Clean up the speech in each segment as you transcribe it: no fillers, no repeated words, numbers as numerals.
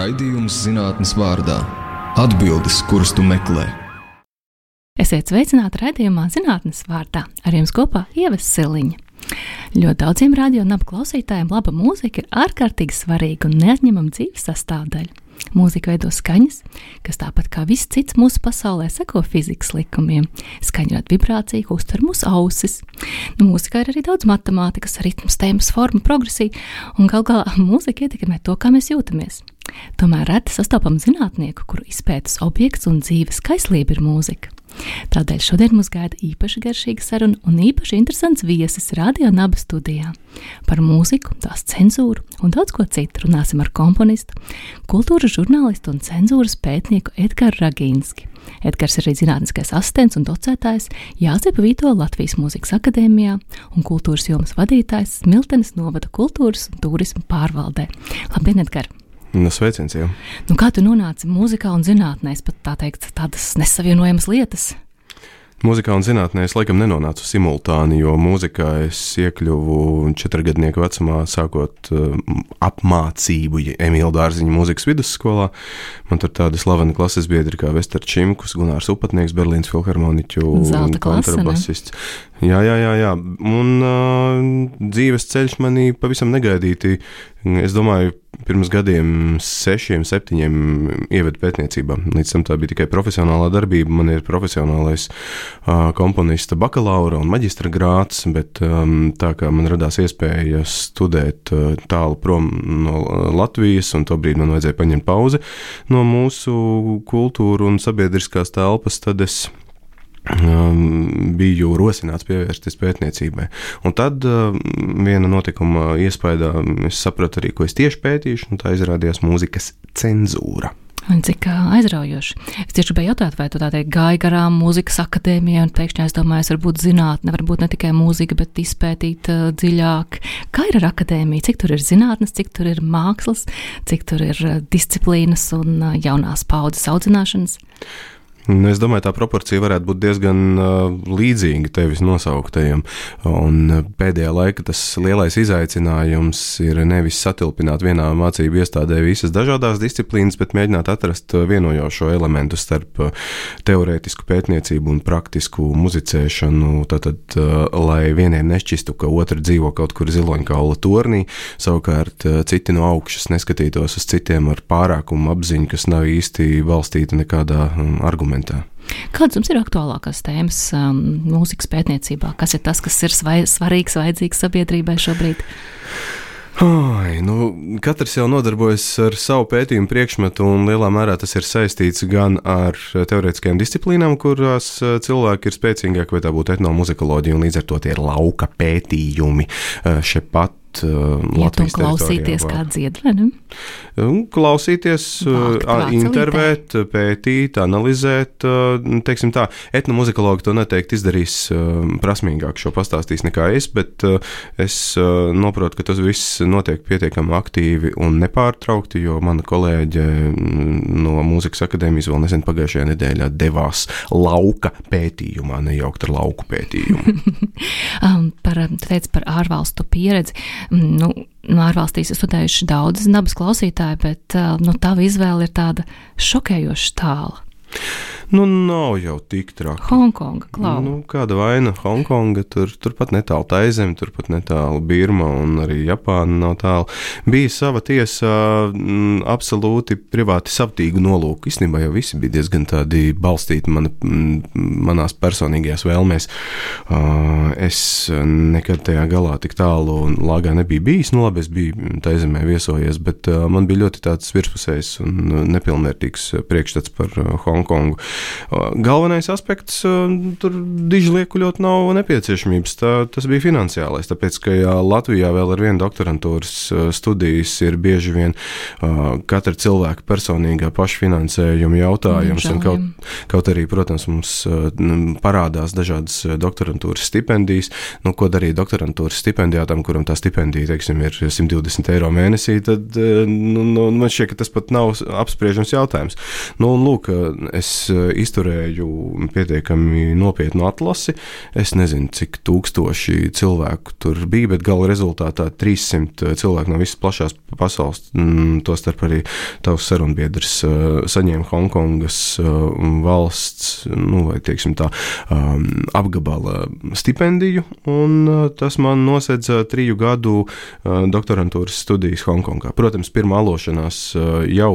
Raidījums zinātnes vārdā. Atbildes, kuras tu meklē. Esiet sveicināti raidījumā zinātnes vārdā. Ar jums kopā Ieva Siliņa. Ļoti daudziem radio un abu klausītājiem laba mūzika ir ārkārtīgi svarīga un neatņemama dzīves sastāvdaļa. Mūzika veido skaņas, kas tāpat kā viss cits mūsu pasaulē seko fizikas likumiem. Skaņa rada vibrāciju, ko uztver mūsu ausis. Mūzikā ir arī daudz matemātikas, ritms, tēmas, forma, progresija, un gal galā mūzika ietekmē to, kā mēs jūtamies. Tomēr reti sastopam zinātnieku, kuru izpētes objekts un dzīves kaislība ir mūzika. Tādēļ šodien mūs gaida īpaši garšīga saruna un īpaši interesants viesis Radio Naba studijā. Par mūziku, tās cenzūru un daudz ko citu runāsim ar komponistu, kultūras žurnālistu un cenzūras pētnieku Edgaru Ragīnski. Edgars ir arī zinātniskais asistents un docētājs Jāzepa Vītola Latvijas Mūzikas akadēmijā un kultūras jomas vadītājs Smiltenes novada kultūras un turisma pārvaldē. Labdien, Edgar! Sveiciens jau. Kā tu nonāci mūzikā un zinātnē, pat tā teikt, tādas nesavienojamas lietas? Mūzikā un zinātnē es laikam nenonācu simultāni, jo mūzikā es iekļuvu 4-gadnieku vecumā, sākot apmācību Emīla Dārziņa mūzikas vidusskolā. Man tur tādi slaveni klases biedri kā Vester Čimkus, Gunārs Upatnieks, Berlīnas filharmoniķu un kontrabasists. Jā. Un dzīves ceļš manī pavisam negaidīti. Es domāju, pirms gadiem 6, 7 ieveda pētniecībā. Līdz tam tā bija tikai profesionālā darbība. Man ir profesionālais komponista bakalaura un maģistra grāds, bet tā kā man radās iespēja studēt tālu prom no Latvijas, un tobrīd man vajadzēja paņemt pauzi no mūsu kultūru un sabiedriskās telpas, tad es biju rosināts pievērsties pētniecībai. Un tad viena notikuma iespaidā es sapratu arī, ko es tieši pētīšu, un tā izrādījās mūzikas cenzūra. Un cik aizraujoši. Es tieši gribēju jautāt, vai tu tā teikt gāji garām mūzikas akadēmijai, un pēkšņi aizdomājies, varbūt zinātne, varbūt ne tikai mūzika, bet izpētīt dziļāk. Kā ir ar akadēmiju? Cik tur ir zinātnes, cik tur ir mākslas, cik tur ir disciplīnas un jaunās paudzes audzināšanas? Es domāju, tā proporcija varētu būt diezgan līdzīga tevis nosauktajam, un pēdējā laika tas lielais izaicinājums ir nevis satilpināt vienā mācību iestādē visas dažādās disciplīnas, bet mēģināt atrast vienojošo elementu starp teorētisku pētniecību un praktisku muzicēšanu, tātad, lai vieniem nešķistu, ka otri dzīvo kaut kur ziloņkaula tornī, savukārt citi no augšas neskatītos uz citiem ar pārākumu apziņu, kas nav īsti balstīta nekādā argumentā. Kādas jums ir aktuālākās tēmas mūzikas pētniecībā? Kas ir tas, kas ir svarīgs, vajadzīgs sabiedrībai šobrīd? Katrs jau nodarbojas ar savu pētījumu priekšmetu, un lielā mērā tas ir saistīts gan ar teorētiskajām disciplīnām, kurās cilvēki ir spēcīgāki, vai tā būtu etnomuzikoloģija, un līdz ar to tie ir lauka pētījumi šepat Latvijas teritorijā. Klausīties kā dzied, vai ne? Klausīties, intervēt, pētīt, analizēt, teiksim tā, etnomuzikologi to noteikti izdarīs prasmīgāk, šo pastāstīs nekā es, bet es noprotu, ka tas viss notiek pietiekami aktīvi un nepārtraukti, jo mana kolēģe no Mūzikas akadēmijas vēl nesen pagājušajā nedēļā devās lauka pētījumā, nejaukt ar lauku pētījumu. Tu teici par ārvalstu pieredzi. Ārvalstīs ir studējuši daudz nabas klausītāji, bet tava izvēle ir tāda šokējoša tāla. Nav jau tik traki. Hongkonga, klau. Kāda vaina Hongkonga, turpat netālu Taizeme, turpat netālu Birma un arī Japāna nav tālu. Bija sava tiesa absolūti privāti savtīgu nolūku. Īstenībā jau visi bija diezgan tādi balstīti manās personīgajās vēlmēs. Es nekad tajā galā tik tālu lāgā nebija bijis. Labi, es biju Taizemē viesojies, bet man bija ļoti tāds virspusējs un nepilnvērtīgs priekšstats par Hongkongu. Galvenais aspekts tur diži liekuļot nav nepieciešamības. Tas bija finansiālais, tāpēc, ka Latvijā vēl ar vienu doktorantūras studijas ir bieži vien katra cilvēka personīgā pašfinansējuma jautājums. Un kaut arī, protams, mums parādās dažādas doktorantūras stipendijas. Ko darīt doktorantūras stipendijātam, kuram tā stipendija, teiksim, ir 120 eiro mēnesī, tad man šķiet, ka tas pat nav apspriežams jautājums. Un lūk, es izturēju pietiekami nopietnu atlasi. Es nezinu, cik tūkstoši cilvēku tur bija, bet gala rezultātā 300 cilvēku no visas plašās pasaules, tostarp arī tavs sarunbiedrs, saņēma Hongkongas valsts, vai tieksim tā, apgabala stipendiju, un tas man nosedza 3 gadu doktorantūras studijas Hongkongā. Protams, pirmā alošanās jau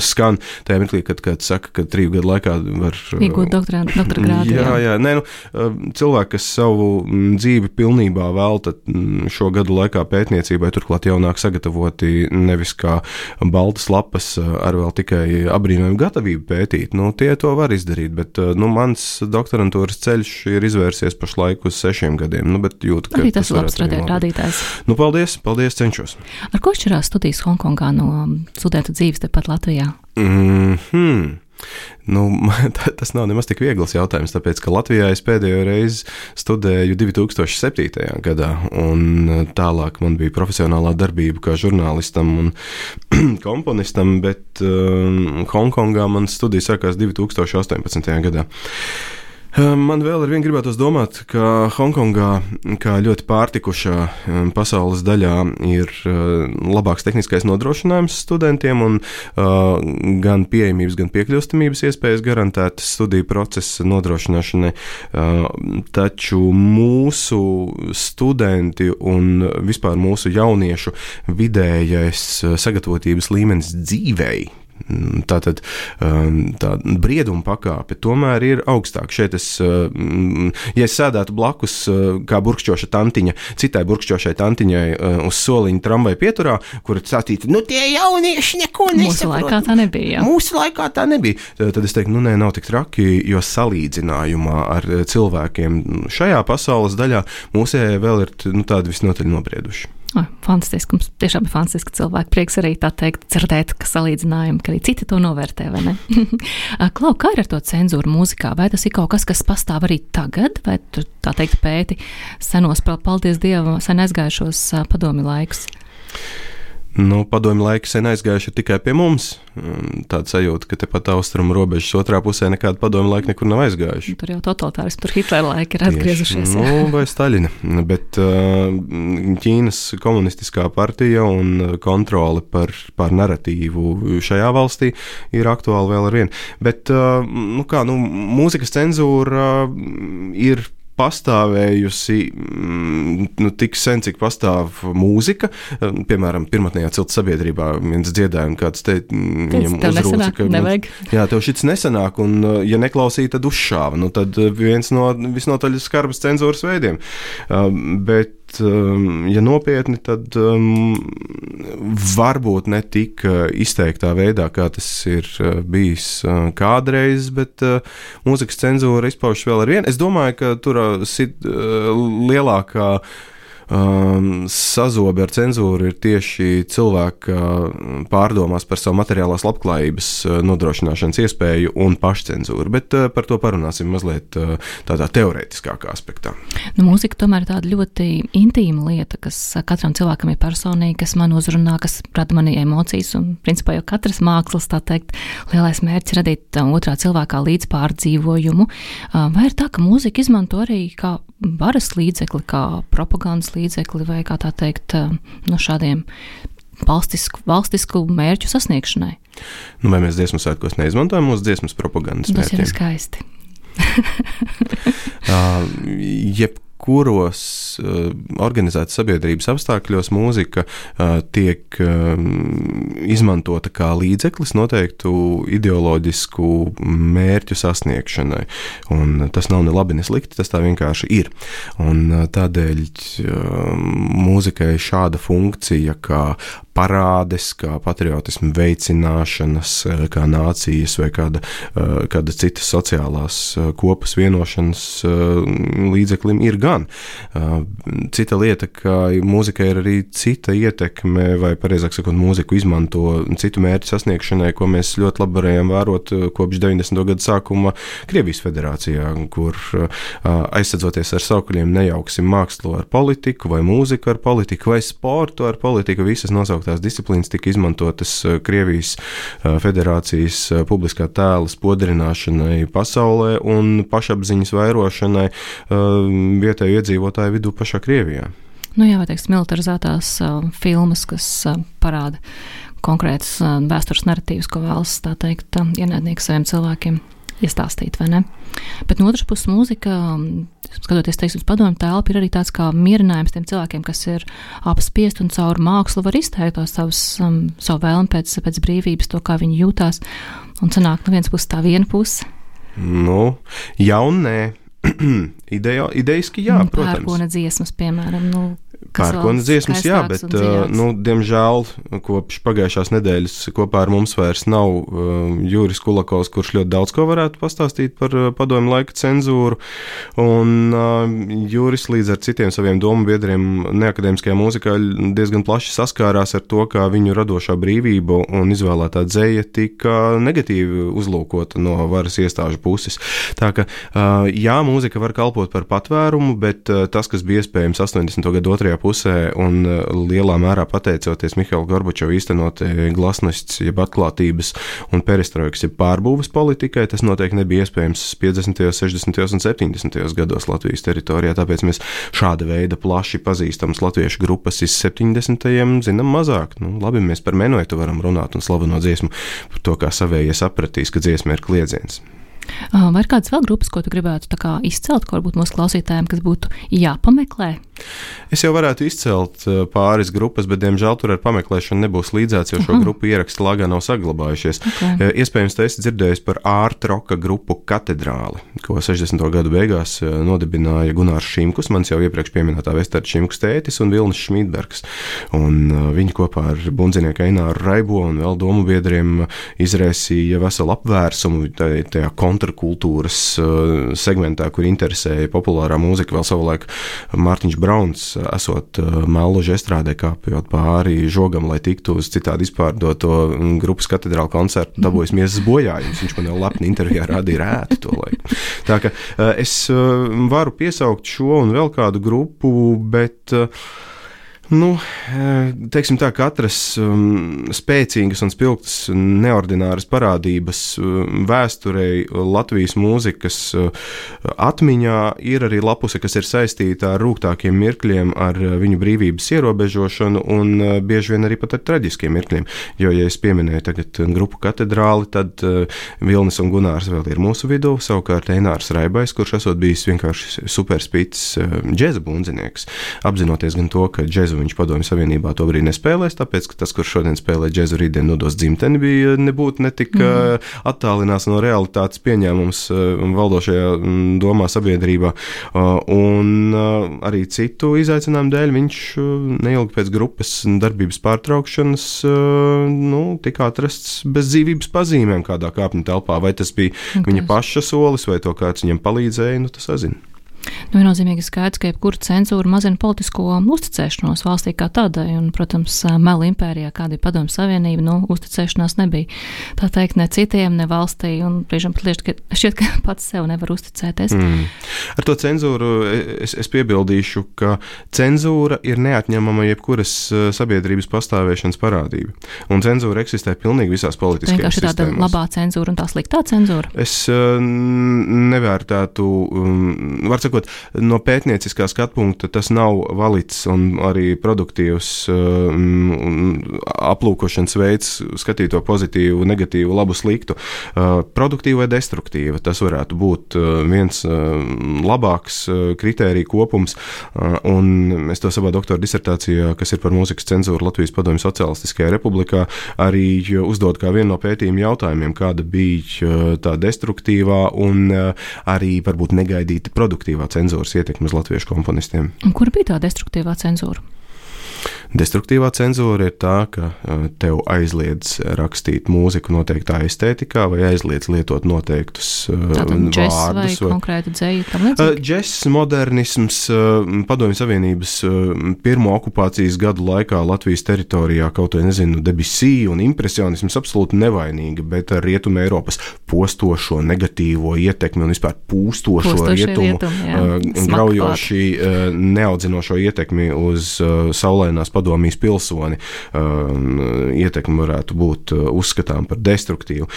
skan tajā mirklī, kad saka, ka 3 gadu laikā var iegūt doktora grādu. Jā. Nē, cilvēki, kas savu dzīvi pilnībā velta šo gadu laikā pētniecībai, turklāt jaunāk sagatavoti nevis kā baltas lapas ar vēl tikai apbrīnojumu gatavību pētīt, tie to var izdarīt, bet mans doktorantūras ceļš ir izvērsies pašlaik uz 6 gadiem, bet jūtu, ka arī tas ir labs rādītājs. Paldies, cenšos. Ar ko šķirās studijas Hongkongā no studentu dzīves tepat Latvijā? Tas nav nemaz tik viegls jautājums, tāpēc, ka Latvijā es pēdējo reizi studēju 2007. gadā, un tālāk man bija profesionālā darbība kā žurnālistam un komponistam, bet Hongkongā man studija sākās 2018. gadā. Man vēl ar vienu gribētos domāt, ka Hongkongā, kā ļoti pārtikušā pasaules daļā, ir labāks tehniskais nodrošinājums studentiem un gan pieejamības, gan piekļūstamības iespējas garantētas studiju procesa nodrošināšanai. Taču mūsu studenti un vispār mūsu jauniešu vidējais sagatavotības līmenis dzīvei, tātad tā brieduma pakāpe tomēr ir augstāk. Šeit ja es sēdētu blakus kā burkšķoša tantiņa, citai burkšķošai tantiņai uz soliņa tramvaja pieturā, kur sacītu, tie jaunieši neko nesaprot. Mūsu laikā tā nebija. Mūsu laikā tā nebija. Tad es teiktu, nav tik traki, jo salīdzinājumā ar cilvēkiem šajā pasaules daļā mūsējie vēl ir tādi visnotaļ nobrieduši. Fantastiski, mums tiešām ir fantastiski cilvēki. Prieks arī tā teikt, dzirdēt, ka salīdzinājumi, ka arī citi to novērtē, vai ne? Klau, kā ir ar to cenzūru mūzikā? Vai tas ir kaut kas, kas pastāv arī tagad, vai tu tā teikt pēti senos, paldies Dievam, sen aizgājušos padomju laikus? Padomju laiki sen aizgājuši tikai pie mums. Tāda sajūta, ka tepat austrumu robežas otrā pusē nekāda padomju laika nekur nav aizgājuši. Tur jau totalitārisms, tur Hitlera laiki ir atgriezušies. Vai Staļina, bet Ķīnas komunistiskā partija un kontrole par naratīvu šajā valstī ir aktuāli vēl ar vienu. Bet, mūzikas cenzūra ir pastāvējusi tik sen, cik pastāv mūzika. Piemēram, pirmotnējā cilta sabiedrībā viens dziedājums, kāds viņam uzrūca, ka tev šits nesanāk, un ja neklausīja, tad uzšāva. Tad viens no visnotaļ skarbas cenzūras veidiem. Bet ja nopietni, tad varbūt ne tik izteiktā veidā, kā tas ir bijis kādreiz, bet mūzikas cenzūra izpaužas vēl ar vienu. Es domāju, ka tur lielākā sazobe ar cenzūru ir tieši cilvēka pārdomās par savu materiālās labklājības nodrošināšanas iespēju un pašcenzūru, bet par to parunāsim mazliet tādā teorētiskākā aspektā. Mūzika tomēr ir tāda ļoti intīma lieta, kas katram cilvēkam ir personīgi, kas man uzrunā, kas rada manī emocijas, un principā jau katras mākslas, tā teikt, lielais mērķis radīt otrā cilvēkā līdzpārdzīvojumu. Vai ir tā, ka mūzika izmanto arī kā varas līdzekli, kā propagandas līdzekli vai, kā tā teikt, no šādiem valstisku mērķu sasniegšanai? Vai mēs dziesmu svētkos neizmantojam mūsu dziesmas propagandas mērķiem? Tas ir skaisti. Jebkuros organizētas sabiedrības apstākļos mūzika tiek izmantota kā līdzeklis noteiktu ideoloģisku mērķu sasniegšanai. Un tas nav ne labi, ne slikti, tas tā vienkārši ir. Un tādēļ mūzikai šāda funkcija kā parādes, kā patriotismu veicināšanas, kā nācijas vai kāda citas sociālās kopas vienošanas līdzeklim ir gan. Cita lieta, ka mūzikai ir arī cita ietekme, vai pareizāk sakot, mūziku izmanto citu mērķu sasniegšanai, ko mēs ļoti labi varējām vērot kopš 90. gadu sākuma Krievijas federācijā, kur aizsadzoties ar saukuļiem nejauksim mākslu ar politiku, vai mūziku ar politiku, vai sportu ar politiku, visas nosauktās aizliegtās disciplīnas tika izmantotas Krievijas federācijas publiskā tēla spodrināšanai pasaulē un pašapziņas vairošanai vietēju iedzīvotāju vidū pašā Krievijā. Nu jā, vai teiks, militarizētās filmas, kas parāda konkrētas vēstures narratīvas, ko vēlas, tā teikt, ienaidnieki saviem cilvēkiem iestāstīt, vai ne? Bet no otras puses mūzika, skatoties, teiks, uz padomu telpu, ir arī tāds kā mierinājums tiem cilvēkiem, kas ir apspiest un caur mākslu var izteikt savu vēlmi pēc brīvības, to, kā viņi jūtās, un sanāk no vienas puses tā viena puse. Nu, jā un nē. Idejiski jā, protams. Pērkona dziesmas, piemēram, Pērkona dziesmas, jā, bet, diemžēl, kopš pagājušās nedēļas kopā ar mums vairs nav Juris Kulakovs, kurš ļoti daudz ko varētu pastāstīt par padomju laika cenzūru, un Juris līdz ar citiem saviem domu biedriem neakadēmiskajā mūzikā diezgan plaši saskārās ar to, kā viņu radošā brīvība un izvēlētā dzeja tika negatīvi uzlūkota no varas iestāžu puses. Tā ka, jā, mūzika var kalpot par patvērumu, bet tas, kas bija iespējams 80. gadu otrajā pusē un lielā mērā pateicoties Mihaila Gorbačova īstenotai glasnosts, jeb atklātības un perestroikas, jeb pārbūves politikai, tas noteikti nebija iespējams 50., 60. un 70. gados Latvijas teritorijā, tāpēc mēs šāda veida plaši pazīstams latviešu grupas iz 70. zinām mazāk. Labi, mēs par Menuetu varam runāt un slaveno dziesmu par to, kā savējie sapratīs, ka dziesma ir kliedziens. Vai ir kādas vēl grupas, ko tu gribētu tā kā izcelt, ko varbūt mūsu klausītājiem, kas būtu jāpameklē? Es jau varētu izcelt pāris grupas, bet, diemžēl, tur ar pameklēšanu nebūs līdzēts, jo šo grupu ieraksti lāgā nav saglabājušies. Okay. Iespējams, te esi dzirdējis par art roka grupu Katedrāli, ko 60. gadu beigās nodibināja Gunārs Šimkus, mans jau iepriekš pieminētā Vestards Šimkus tētis un Vilnis Šmītbergs. Un viņi kopā ar bundzinieku Eināru Raibo un vēl domu biedriem izraisīja veselu apvērsumu tajā kontrakultūras segmentā, kur interesēja populārā mūzika, vēl savulaik Mārtiņš Brauns, esot Melluža estrādē kāpjot pāri žogam, lai tiktu uz citādi izpārdoto grupas Katedrāla koncertu, dabūjas miesas bojājums. Viņš man jau lepni intervijā rādīja rētu to laiku. Tā ka es varu piesaukt šo un vēl kādu grupu, bet teiksim tā, katras spēcīgas un spilgtas neordināras parādības vēsturei Latvijas mūzikas atmiņā ir arī lapuse, kas ir saistīta ar rūgtākiem mirkļiem, ar viņu brīvības ierobežošanu un bieži vien arī pat ar traģiskiem mirkļiem. Jo, ja es pieminēju tagad grupu Katedrāli, tad Vilnis un Gunārs vēl ir mūsu vidū, savukārt Einārs Raibais, kurš esot bijis vienkārši superspīts džeza bundzinieks, apzinoties gan to, ka džezu viņš Padomju Savienībā to brīdi nespēlēs, tāpēc, ka tas, kurš šodien spēlē džezu, rītdien nodos dzimteni, bija nebūtu netik attālinās no realitātes pieņēmums valdošajā domā sabiedrībā. Un arī citu izaicinājumu dēļ viņš neilgi pēc grupas darbības pārtraukšanas tika atrasts bez dzīvības pazīmēm kādā kāpņu telpā. Vai tas bija viņa paša solis, vai to kāds viņam palīdzēja, tas sazina. Viennozīmīgi skaidrs, ka jebkura cenzūra mazina politisko uzticēšanos valstī kā tādai, un, protams, melu impērijā, kāda ir Padomju Savienība, uzticēšanās nebija. Tā teikt, ne citiem, ne valstī, un brīžam pat šķiet, ka pats sev nevar uzticēties. Ar to cenzūru es piebildīšu, ka cenzūra ir neatņemama jebkuras sabiedrības pastāvēšanas parādība. Un cenzūra eksistē pilnīgi visās politiskajās sistēmās. Vienkārši tāda labā cenzūra un tā sliktā cenzūra? Es nevērtētu, var sakot, no pētnieciskā skatpunkta tas nav valids un arī produktīvs aplūkošanas veids, skatīt to pozitīvu, negatīvu, labu, sliktu. Produktīva vai destruktīva, tas varētu būt viens labāks kritēriju kopums, un es to savā doktora disertācijā, kas ir par mūzikas cenzūru Latvijas Padomju Socialistiskajā republikā, arī uzdod kā vienu no pētījuma jautājumiem, kāda bija tā destruktīvā un arī varbūt negaidīta produktīvā cenzūras ietekme uz latviešu komponistiem. Un kur bija tā destruktīvā cenzūra? Destruktīvā cenzūra ir tā, ka tev aizliedz rakstīt mūziku noteiktā estētikā vai aizliedz lietot noteiktus vārdus. Vai konkrēti dzeju tam līdzīgi? Džess, modernisms, Padomju Savienības pirmo okupācijas gadu laikā Latvijas teritorijā, kaut vai nezinu, Debussy un impresionisms absolūti nevainīgi, bet ar Rietuma Eiropas postošo negatīvo ietekmi un vispār pūstošo rietumu graujoši neaudzinošo ietekmi uz saulēnās Padomju padomijas pilsoni, ietekme varētu būt uzskatām par destruktīvu.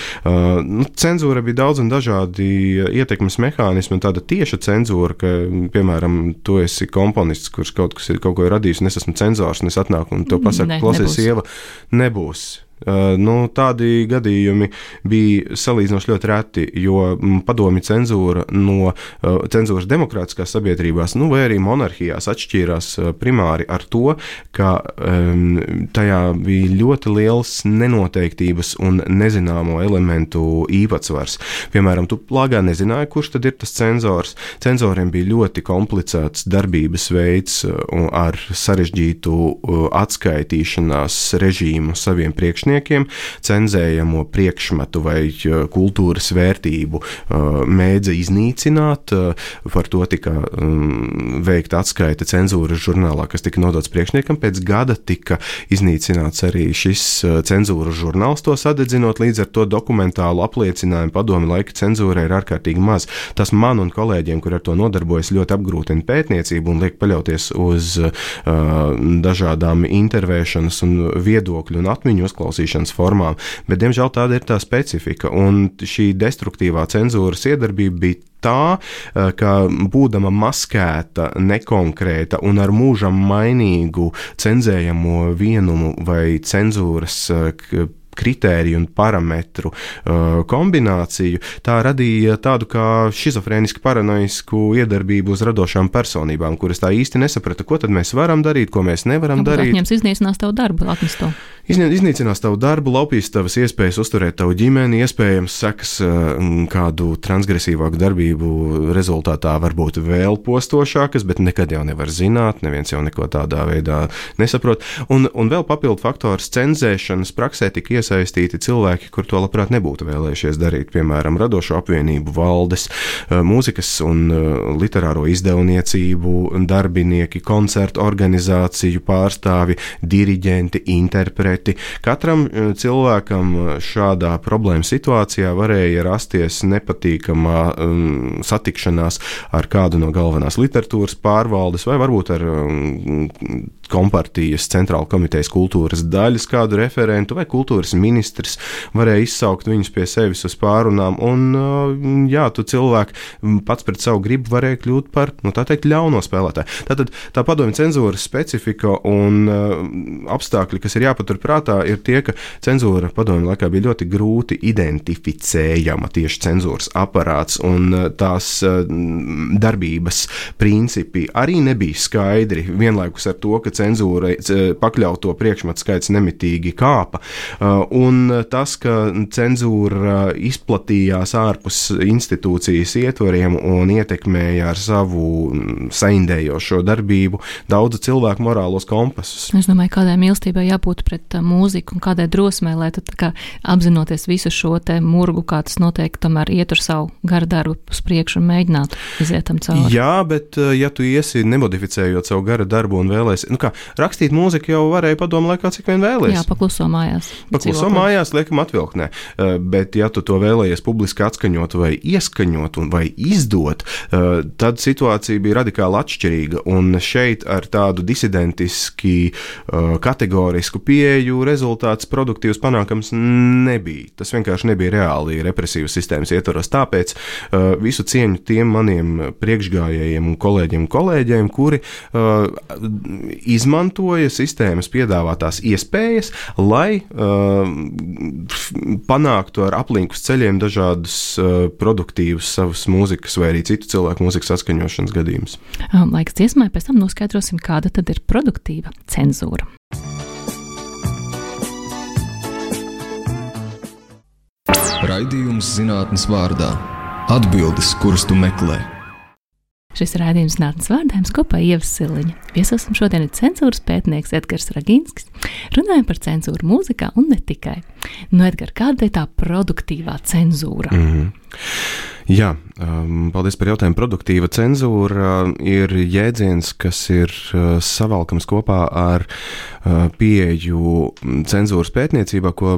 Cenzūra bija daudz un dažādi ietekmes mehānismi, un tāda tieša cenzūra, ka, piemēram, tu esi komponists, kurš kaut ko ir radījis, un es esmu cenzors, un es atnāku un to pasaku, klausies, sieva, nebūs. Tādi gadījumi bija salīdzinoši ļoti reti, jo padomju cenzūra no cenzūras demokrātiskās sabiedrībās, vai arī monarhijās atšķīrās primāri ar to, ka tajā bija ļoti liels nenoteiktības un nezināmo elementu īpatsvars. Piemēram, tu plāgā nezināji, kurš tad ir tas cenzors. Cenzoriem bija ļoti komplicēts darbības veids ar sarežģītu atskaitīšanās režīmu saviem priekšniekiem, cenzējamo priekšmetu vai kultūras vērtību mēdza iznīcināt. Par to tika veikta atskaita cenzūras žurnālā, kas tika nodots priekšniekam. Pēc gada tika iznīcināts arī šis cenzūras žurnāls, to sadedzinot, līdz ar to dokumentālu apliecinājumu padomi laika cenzūrai ir ārkārtīgi maz. Tas man un kolēģiem, kur ar to nodarbojas, ļoti apgrūtina pētniecību un liek paļauties uz dažādām intervēšanas un viedokļu un atmiņu uzklausīšanas formām, bet, diemžēl, tāda ir tā specifika, un šī destruktīvā cenzūras iedarbība bija tā, ka būdama maskēta, nekonkrēta un ar mūžam mainīgu cenzējamo vienumu vai cenzūras kritēriju un parametru kombināciju, tā radīja tādu kā šizofrēnisku paranoisku iedarbību uz radošām personībām, kuras tā īsti nesaprata, ko tad mēs varam darīt, ko mēs nevaram darīt. Atņems iznīcinās tavu darbu, atnes to. Iznīcinās tavu darbu, laupīs tavas iespējas uzturēt tavu ģimeni, iespējams sekas kādu transgresīvāku darbību rezultātā varbūt vēl postošākas, bet nekad jau nevar zināt, neviens jau neko tādā veidā nesaprot. Un vēl papildu faktors cenzēšanas praksē tika iesaistīti cilvēki, kur to labprāt nebūtu vēlējušies darīt, piemēram, radošo apvienību valdes, mūzikas un literāro izdevniecību darbinieki, koncertu organizāciju pārstāvi, diriģenti, interpreti. Katram cilvēkam šādā problēma situācijā varēja rasties nepatīkamā satikšanās ar kādu no galvenās literatūras pārvaldes vai varbūt ar kompartijas centrāla komitejas kultūras daļas kādu referentu vai kultūras ministrs varēja izsaukt viņus pie sevis uz pārunām, un tu cilvēku pats pret savu gribu varēja kļūt par, tā teikt, ļauno spēlētāju. Tātad tā padomju cenzūras specifika un apstākļi, kas ir jāpatur prātā, ir tie, ka cenzūra padomju laikā bija ļoti grūti identificējama, tieši cenzūras aparāts, un tās darbības principi arī nebija skaidri, vienlaikus ar to, ka cenzūra pakļauto priekšmetu skaits nemitīgi kāpa. Un tas, ka cenzūra izplatījās ārpus institūcijas ietvariem un ietekmēja ar savu saindējošo darbību daudzu cilvēku morālos kompasus. Es domāju, kādai mīlestībai jābūt pret mūziku un kādai drosmei, lai tu kā apzinoties visu šo te murgu, kā tas noteikti tomēr iet ar savu garu darbu uz priekšu un mēģinātu iziet tam cauri. Jā, bet ja tu iesi nemodificējot savu garu darbu un vēlēsi, rakstīt mūziku jau varēja padomu laikā, cik vien vēlēs. Jā, pakluso mājās. Pakluso mājās, liekam atvilknē. Bet ja tu to vēlējies publiski atskaņot vai ieskaņot vai izdot, tad situācija bija radikāli atšķirīga. Un šeit ar tādu disidentiski kategorisku pieeju rezultāts produktīvs panākams nebija. Tas vienkārši nebija reāli represīvas sistēmas ietvaros. Tāpēc visu cieņu tiem maniem priekšgājējiem un kolēģiem, kuri izmantoja sistēmas piedāvātās iespējas, lai panāktu ar aplinkus ceļiem dažādus produktīvus savus mūzikas vai arī citu cilvēku mūzikas atskaņošanas gadījumus. Laiks dziesmai, pēc tam noskaidrosim, kāda tad ir produktīva cenzūra. Raidījums zinātnes vārdā. Atbildes, kuras tu meklē. Šis ir raidījums zinātnes vārdā, kopā Ieva Siliņa. Viesosim šodien ir cenzūras pētnieks Edgars Ragīnskis. Runājam par cenzūru mūzikā un ne tikai. Edgar, kāda ir tā produktīvā cenzūra? Jā, paldies par jautājumu. Produktīva cenzūra ir jēdziens, kas ir savalkams kopā ar pieeju cenzūras pētniecībā, ko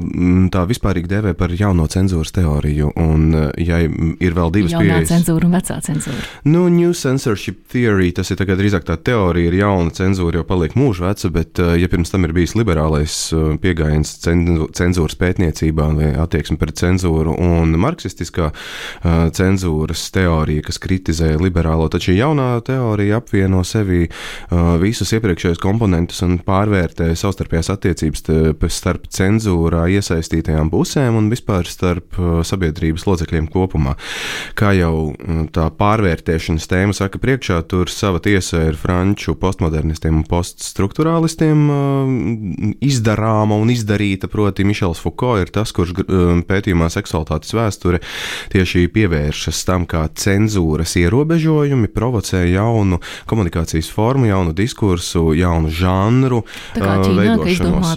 tā vispārīgi dēvē par jauno cenzūras teoriju. Un, ja ir vēl divas pieejas... Jaunā cenzūra un vecā cenzūra. Nu, New Censorship Theory, tas ir tagad drīzāk tā teorija, ir jauna cenzūra, jau paliek mūža veca, bet, ja pirms tam ir bijis liberālais pieejams cenzūras pētniecībā vai attieksme pret cenzūru un marksistiskā cenzūras teorija, kas kritizē liberālo, tad šī jaunā teorija apvieno sevi visus iepriekšējos komponentus un pārvērtē savstarpējās attiecības starp cenzūrā iesaistītajām pusēm un vispār starp sabiedrības locekļiem kopumā. Kā jau tā pārvērtēšanas tēma saka priekšā, tur sava tiesa ir franču postmodernistiem un poststrukturālistiem izdarāma un izdarīta, proti Mišels Foucault ir tas, kurš pētījumā seksualitātes vēsture tieši pievēršas tam, kā cenzūras ierobežojumi provocē jaunu komunikācijas formu, jaunu diskursu, jaunu žanru veidošanos. Tā kā Ķīnā, ka izdomā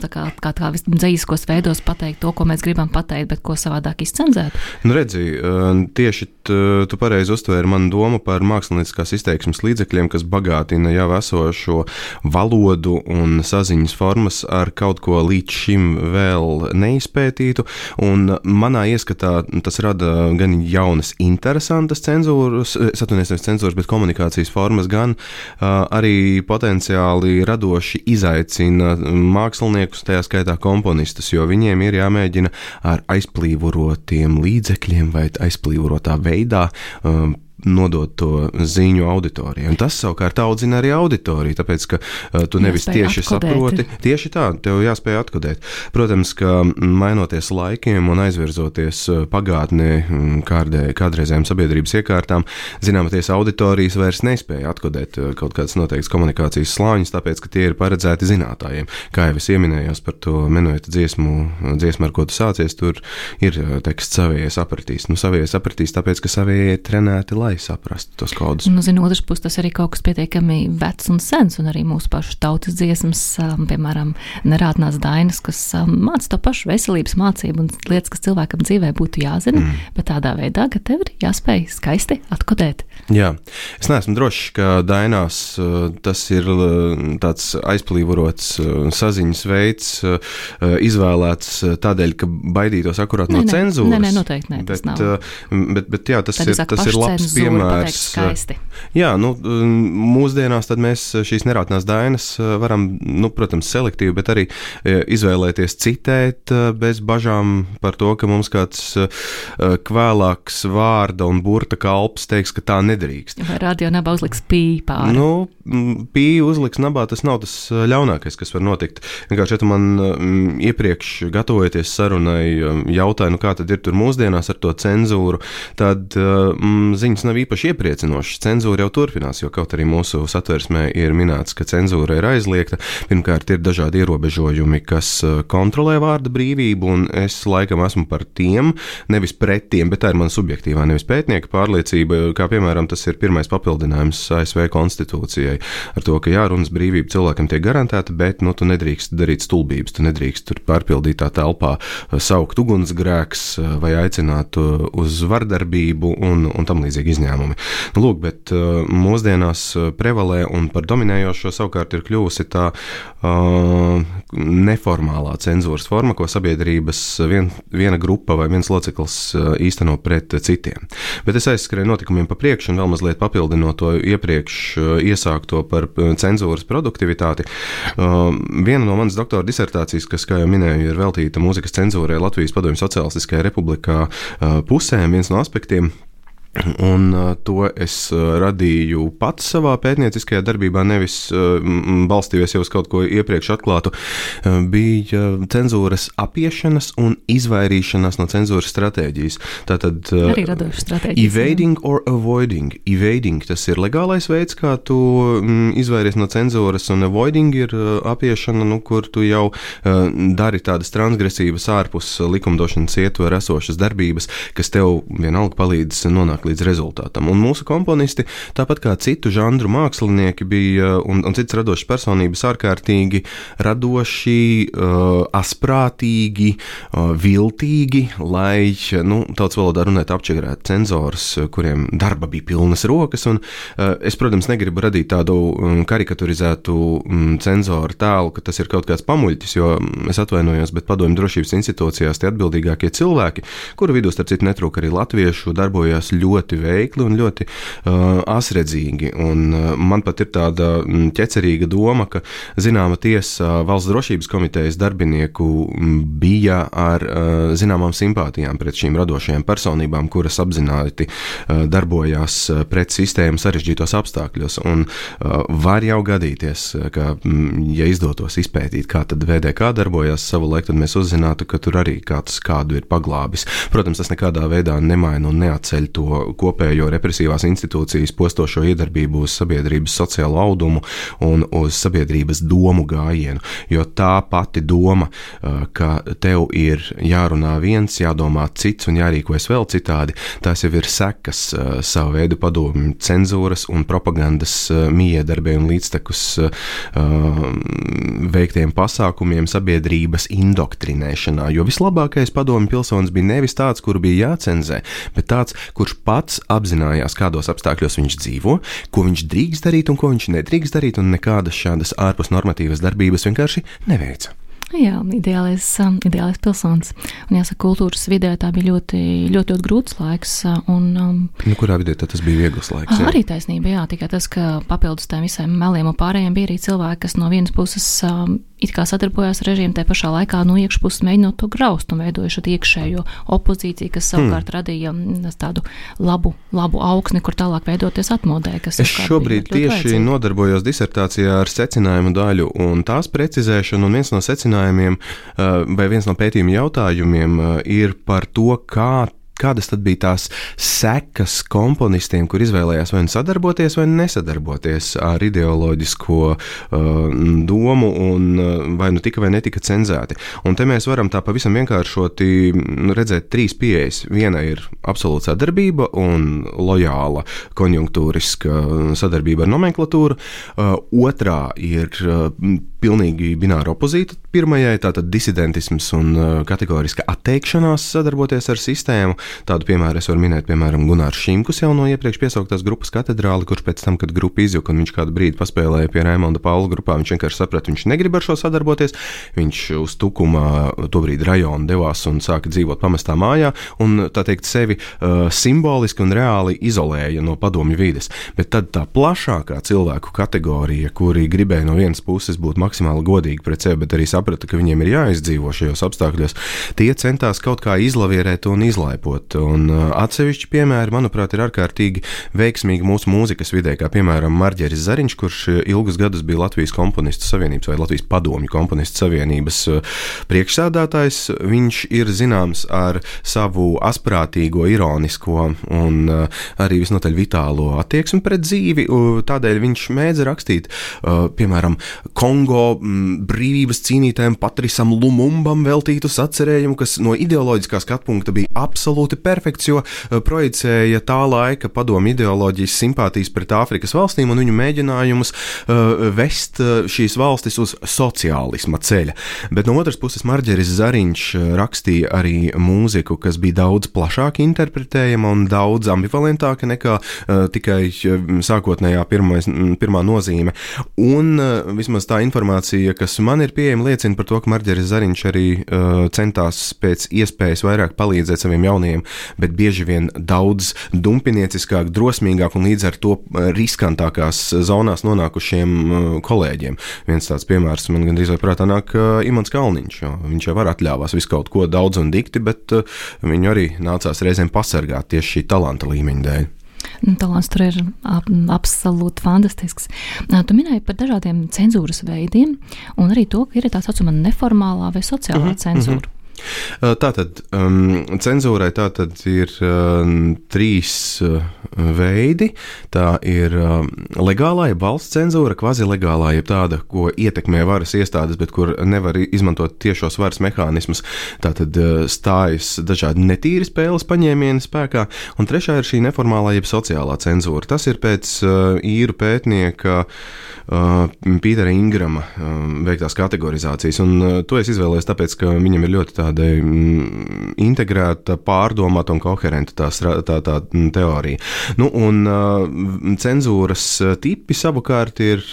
kā dzejiskos veidos pateikt to, ko mēs gribam pateikt, bet ko savādāk izcenzēt? Nu, redzi, tieši tu pareizi uztvēri manu domu par mākslinieckās izteiksmes līdzekļiem, kas bagātina jau esošo valodu un saziņas formas ar kaut ko līdz šim vēl neizpētītu, un manā ieskatā tas rada gan jaunas interesantas cenzūras, bet komunikācijas formas, gan arī potenciāli radoši izaicina māksliniekus, tajā skaitā komponistus, jo viņiem ir jāmēģina ar aizplīvorotiem līdzekļiem vai aizplīvorotā veidā nodot to ziņu auditorijai. Un tas savukārt audzina arī auditoriju, tāpēc, ka tu nevis tieši saproti. Tieši tā, tev jāspēj atkodēt. Protams, ka mainoties laikiem un aizvirzoties pagātnē kādreizējām sabiedrības iekārtām, zināmoties auditorijas vairs nespēja atkodēt kaut kādas noteiktas komunikācijas slāņus, tāpēc, ka tie ir paredzēti zinātājiem. Kā jau es ieminējos par to menueta dziesmu, ar ko tu sācies, tur ir teksts savējie sapratīs. Nu, savējie sapratīs, tāpēc, ka savējie trenēti lai saprastu tos kodus. Nu, zinu, otrs puses tas arī kaut kas pietiekami vecs un sens, un arī mūsu pašu tautas dziesmas, piemēram, nerātnās dainas, kas māca to pašu veselības mācību un lietas, kas cilvēkam dzīvē būtu jāzina, bet tādā veidā, ka tev ir jāspēj skaisti atkodēt. Jā, es neesmu drošs, ka dainās tas ir tāds aizplīvorots saziņas veids, izvēlēts tādēļ, ka baidītos akurāt no cenzūras. Nē, noteikti nē, tas nav. Bet jā, tas ir labs piemērs. Jā, nu, mūsdienās tad mēs šīs nerātnās dainas varam, nu, protams, selektīvi, bet arī izvēlēties citēt bez bažām par to, ka mums kāds kvēlāks vārda un burta kalps teiks, ka tā nedrīkst. Vai radio nabā uzliks pī pāri? Nu, pī uzliks nabā, tas nav tas ļaunākais, kas var notikt. Vienkārši, ja tu man iepriekš gatavojoties sarunai jautāju, nu kā tad ir tur mūsdienās ar to cenzūru, tad ziņas nav īpaši iepriecinošas. Cenzūra jau turpinās, jo kaut arī mūsu satversmē ir minēts, ka cenzūra ir aizliegta. Pirmkārt, ir dažādi ierobežojumi, kas kontrolē vārda brīvību, un es laikam esmu par tiem, nevis pret tiem, bet tā ir mana subjektīvā, nevis pētnieka pārliecība, kā piemēram tas ir pirmais papildinājums ASV konstitūcijai ar to, ka jā, runas brīvība cilvēkam tiek garantēta, bet, nu, tu nedrīkst darīt stulbības, tu nedrīkst tur pārpildītā telpā saukt ugunsgrēks vai aicināt uz vardarbību un tam līdzīgi izņēmumi. Nu, lūk, bet mūsdienās prevalē un par dominējošo savukārt ir kļuvusi tā neformālā cenzūras forma, ko sabiedrības viena grupa vai viens loceklis īsteno pret citiem. Bet es aizskrēju notikumiem pa priekšu un vēl mazliet papildinot to iepriekš iesākto par cenzūras produktivitāti. Viena no manas doktora disertācijas, kas, kā jau minēju, ir veltīta mūzikas cenzūrai Latvijas Padomju Sociālistiskajā republikā pusēm, viens no aspektiem. Un to es radīju pats savā pētnieciskajā darbībā, nevis balstījies jau uz kaut ko iepriekš atklātu, bija cenzūras apiešanas un izvairīšanās no cenzūras stratēģijas. Tātad arī radošas stratēģijas. Evading or avoiding. Evading, tas ir legālais veids, kā tu izvairies no cenzūras, un avoiding ir apiešana, nu, kur tu jau dari tādas transgresīvas ārpus likumdošanas ietver esošas darbības, kas tev vienalga palīdz nonākt nonāk līdz rezultātam. Un mūsu komponisti, tāpat kā citu žanru mākslinieki, bija un citas radošas personības ārkārtīgi radoši, asprātīgi, viltīgi, lai, tautas valodā runāt apčakarēt cenzors, kuriem darba bija pilnas rokas, un es, protams, negribu radīt tādu karikaturizētu cenzoru tēlu, ka tas ir kaut kāds pamuļķis, jo es atvainojos, bet Padomju drošības institūcijās tie atbildīgākie cilvēki, kuru vidū starp citu netrūk arī latviešu, darbojās ļoti veikli un ļoti asredzīgi. Un man pat ir tāda ķecerīga doma, ka zināma tiesa Valsts drošības komitejas darbinieku bija ar zināmām simpātijām pret šīm radošajām personībām, kuras apzināti darbojās pret sistēmu sarežģītos apstākļos. Un var jau gadīties, ka, ja izdotos izpētīt, kā tad VDK darbojās savu laiku, tad mēs uzzinātu, ka tur arī kādu ir paglābis. Protams, tas nekādā veidā nemaina un neatceļ to kopējo represīvās institūcijas postošo iedarbību uz sabiedrības sociālo audumu un uz sabiedrības domu gājienu, jo tā pati doma, ka tev ir jārunā viens, jādomā cits un jārīkojas vēl citādi, tās jau ir sekas savu veidu padomju cenzūras un propagandas miedarbē un līdztekus veiktiem pasākumiem sabiedrības indoktrinēšanā, jo vislabākais padomju pilsonis bija nevis tāds, kuru bija jācenzē, bet tāds, kurš pats apzinājās, kādos apstākļos viņš dzīvo, ko viņš drīkst darīt un ko viņš nedrīkst darīt, un nekādas šādas ārpus normatīvas darbības vienkārši neveica. Jā, ideālais pilsonis. Un jāsaka, kultūras vidē tā bija ļoti grūts laiks. Kurā vidē tas bija viegls laiks? Jā? Arī taisnība, jā, tikai tas, ka papildus tiem visiem meliem un pārējiem bija arī cilvēki, kas no vienas puses it kā sadarbojās ar režīmu, tai pašā laikā no iekšpuses mēģinot to graust un veidojuši iekšējo opozīciju, kas savukārt radīja tādu labu augsni, kur tālāk veidoties atmodē. Es šobrīd tieši nodarbojos disertācijā ar secinājumu daļu un tās precizēšanu, un viens no secinājumiem vai viens no pētījuma jautājumiem ir par to, kādas tad bija tās sekas komponistiem, kur izvēlējās vai sadarboties vai nesadarboties ar ideoloģisko domu un vai nu tika vai netika cenzēti. Un te mēs varam tā pavisam vienkāršoti redzēt trīs pieejas. Viena ir absolūta sadarbība un lojāla konjunktūriska sadarbība ar nomenklatūru. Otrā ir pilnīgi bināra opozīta pirmajai, tātad disidentisms un kategoriska atteikšanās sadarboties ar sistēmu. Tādu piemēru es varu minēt, piemēram, Gunārs Šimkus jau no iepriekš piesauktās grupas Katedrāli, kurš pēc tam, kad grupa izjuka un viņš kādu brīdi paspēlēja pie Raimonda Paula grupā, viņš vienkārši saprata, viņš negrib ar šo sadarboties, viņš uz Tukumā tobrīd rajonu devās un sāka dzīvot pamestā mājā un, tā teikt, sevi simboliski un reāli izolēja no padomju vides. Bet tad tā plašākā cilvēku kategorija, kuri gribēja no vienas puses būt maksimāli godīgi pret sevi, bet arī saprata, ka viņiem ir jāizdzīvo šajos apstākļos, tie centās kaut kā izlavierēt un izlaipot. Un atsevišķi piemēri, manuprāt, ir ārkārtīgi veiksmīgi mūsu mūzikas vidē, kā piemēram Marģeris Zariņš, kurš ilgus gadus bija Latvijas komponistu savienības vai Latvijas padomju komponistu savienības priekšsēdētājs. Viņš ir zināms ar savu asprātīgo, ironisko un arī visnotaļ vitālo attieksmi pret dzīvi. Tādēļ viņš mēdza rakstīt, piemēram, Kongo brīvības cīnītājiem Patrisam Lumumbam veltītus atcerējumu, kas no ideoloģiskā skatpunkta bija absolūti perfekts, jo projicēja tā laika padomju ideoloģijas simpātijas pret Āfrikas valstīm un viņu mēģinājumus vest šīs valstis uz sociālisma ceļa. Bet no otras puses Marģeris Zariņš rakstīja arī mūziku, kas bija daudz plašāk interpretējama un daudz ambivalentāka nekā tikai sākotnējā pirmā nozīme. Un vismaz tā informācija, kas man ir pieejama, liecina par to, ka Marģeris Zariņš arī centās pēc iespējas vairāk palīdzēt saviem jaunajiem, bet bieži vien daudz dumpinieciskāk, drosmīgāk un līdz ar to riskantākās zonās nonākušiem kolēģiem. Viens tāds piemērs man gandrīz vai prātā nāk Imants Kalniņš, jo viņš jau var atļāvās visu kaut ko daudz un dikti, bet viņu arī nācās reizēm pasargāt tieši šī talanta līmeņa dēļ. Talants tur ir absolūti fantastisks. Tu minēji par dažādiem cenzūras veidiem un arī to, ka ir tā saucamā neformālā vai sociālā cenzūra. Tātad cenzūrai tātad ir trīs veidi. Tā ir legālā, jeb valsts cenzūra, kvazilegālā, jeb tāda, ko ietekmē varas iestādes, bet kur nevar izmantot tiešos varas mehānismus. Tātad stājas dažādi netīri spēles paņēmieni spēkā. Un trešā ir šī neformālā, jeb sociālā cenzūra. Tas ir pēc īru pētnieka Pītera Ingrama veiktās kategorizācijas. Un to es izvēlējos tāpēc, ka viņam ir ļoti tāda integrēta, pārdomāta un koherenta tā teorija. Nu, un cenzūras tipi savukārt ir